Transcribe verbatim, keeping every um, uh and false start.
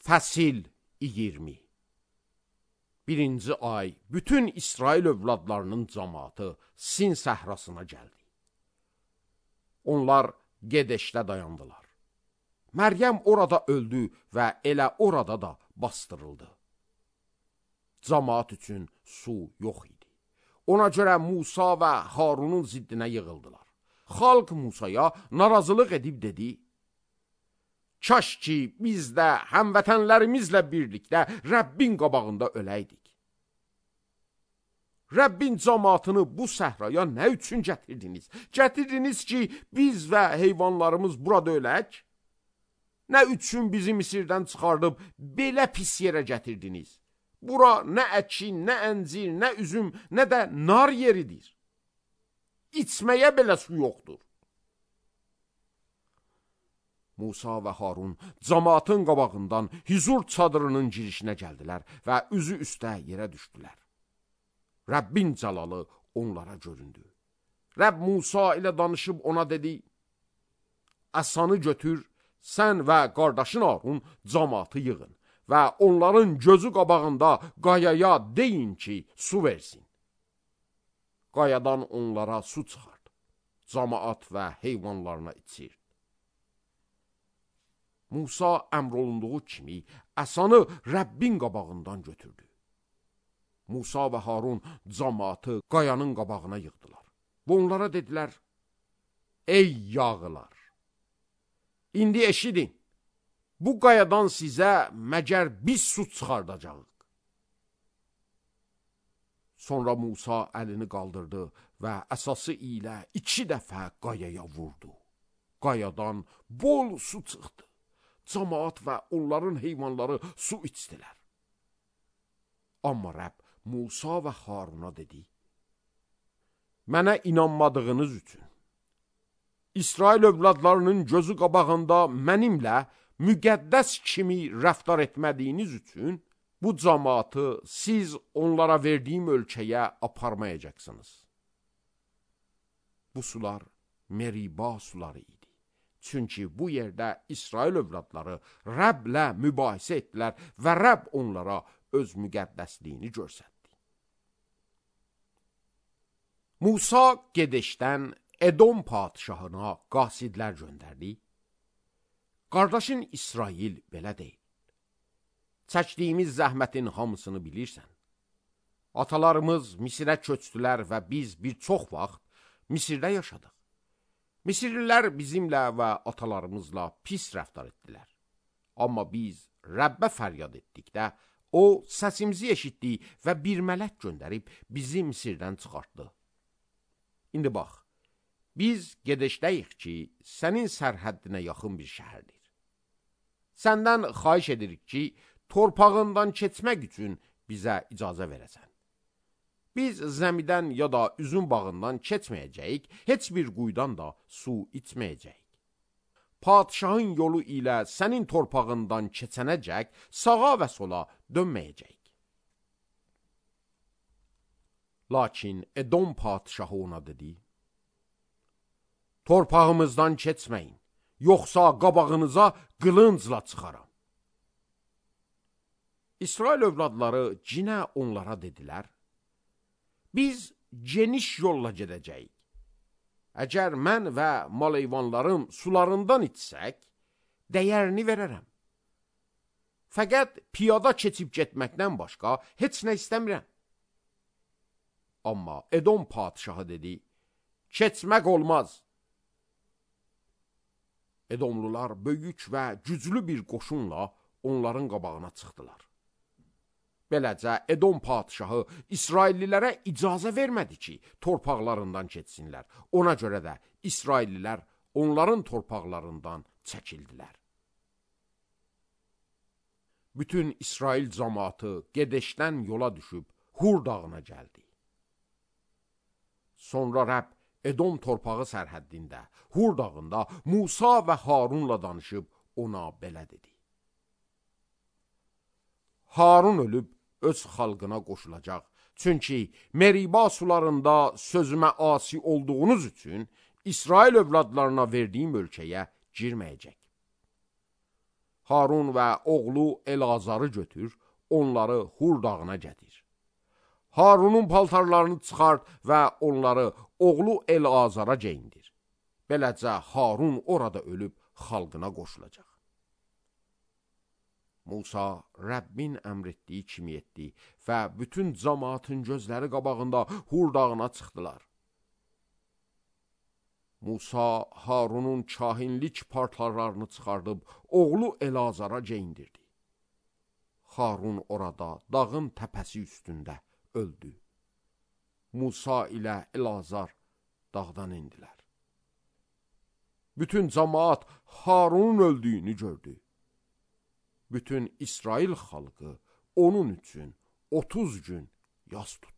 Fəsil iyirmi. Birinci ay bütün İsrail övladlarının cəmaatı Sin səhrasına gəldi. Onlar Gedeşdə dayandılar. Məryəm orada öldü və elə orada da bastırıldı. Cəmaat üçün su yox idi. Ona görə Musa və Harunun ziddinə yığıldılar. Xalq Musaya narazılıq edib dedi: Kaş ki, biz də həmvətənlərimizlə birlikdə Rəbbin qabağında öləydik. Rəbbin cəmaatını bu səhraya nə üçün gətirdiniz? Gətirdiniz ki, biz və heyvanlarımız burada ölək? Nə üçün bizi Misirdən çıxardıb belə pis yerə gətirdiniz? Bura nə əkin, nə əncir, nə üzüm, nə də nar yeridir. İçməyə belə su yoxdur. Musa və Harun cəmaatın qabağından hüzur çadırının girişinə gəldilər və üzü üstə yerə düşdülər. Rəbbin cəlalı onlara göründü. Rəbb Musa ilə danışıb ona dedi: Əsanı götür, sən və qardaşın Harun cəmaatı yığın və onların gözü qabağında qayaya deyin ki, su versin. Qayadan onlara su çıxart, cəmaat və heyvanlarına içir. Musa əmr olunduğu kimi əsanı Rəbbin qabağından götürdü. Musa və Harun cəmaatı qayanın qabağına yığdılar. Və onlara dedilər: Ey yağılar! İndi eşidin, bu qayadan sizə məgər biz su çıxardacağıq. Sonra Musa əlini qaldırdı və əsası ilə iki dəfə qayaya vurdu. Qayadan bol su çıxdı. Cəmaat və onların heyvanları su içdilər. Amma Rəbb Musa və Haruna dedi: Mənə inanmadığınız üçün, İsrail övladlarının gözü qabağında mənimlə müqəddəs kimi rəftar etmədiyiniz üçün, bu cəmaatı siz onlara verdiyim ölkəyə aparmayacaqsınız. Bu sular Meriba suları idi. Çünki bu yerdə İsrail övladları Rəbblə mübahisə etdilər və Rəbb onlara öz müqəddəsliyini göstərdi. Musa Gedeşdən Edom padşahına qasidlər göndərdi. Qardaşın İsrail belə deyil: Çəkdiyimiz zəhmətin hamısını bilirsən. Atalarımız Misirə köçdülər və biz bir çox vaxt Misirdə yaşadıq. Misirlilər bizimlə və atalarımızla pis rəftar etdilər. Amma biz Rəbbə fəryad etdikdə, o səsimizi eşitdi və bir mələk göndərib bizi Misirdən çıxartdı. İndi bax, biz Gedeşdəyik ki, sənin sərhəddinə yaxın bir şəhərdir. Səndən xahiş edirik ki, torpağından keçmək üçün bizə icazə verəsən. Biz zəmidən ya da üzüm bağından keçməyəcəyik, heç bir quyudan da su içməyəcəyik. Padşahın yolu ilə sənin torpağından keçənəcək, sağa və sola dönməyəcəyik. Lakin Edom padşahı ona dedi: Torpağımızdan keçməyin, yoxsa qabağınıza qılıncla çıxaram. İsrail övladları cinə onlara dedilər: Biz geniş yolla gedəcəyik. Əgər mən və mal-heyvanlarım sularından içsək, dəyərini verərəm. Fəqət piyada keçib getməkdən başqa heç nə istəmirəm. Amma Edom padşahı dedi: Keçmək olmaz. Edomlular böyük və güclü bir qoşunla onların qabağına çıxdılar. Beləcə Edom padşahı İsraillilərə icazə vermədi ki, torpaqlarından keçsinlər. Ona görə də İsraillilər onların torpaqlarından çəkildilər. Bütün İsrail cəmaatı Gedeşdən yola düşüb Hur dağına gəldi. Sonra Rəbb Edom torpağı sərhəddində, Hur dağında Musa və Harunla danışıb ona belə dedi: Harun ölüb öz xalqına qoşulacaq. Çünki Meriba sularında sözümə asi olduğunuz üçün İsrail övladlarına verdiyim ölkəyə girməyəcək. Harun və oğlu Elazarı götür, onları Hur dağına gətir. Harunun paltarlarını çıxart və onları oğlu Elazara geyindir. Beləcə Harun orada ölüb xalqına qoşulacaq. Musa Rəbbin əmr etdiyi kimi etdi və bütün cəmaatın gözləri qabağında Hur dağına çıxdılar. Musa Harunun kahinlik paltarlarını çıxardıb oğlu Elazara geyindirdi. Harun orada dağın təpəsi üstündə öldü. Musa ilə Elazar dağdan indilər. Bütün cəmaat Harunun öldüyünü gördü. Bütün İsrail xalqı onun üçün otuz gün yas tutdu.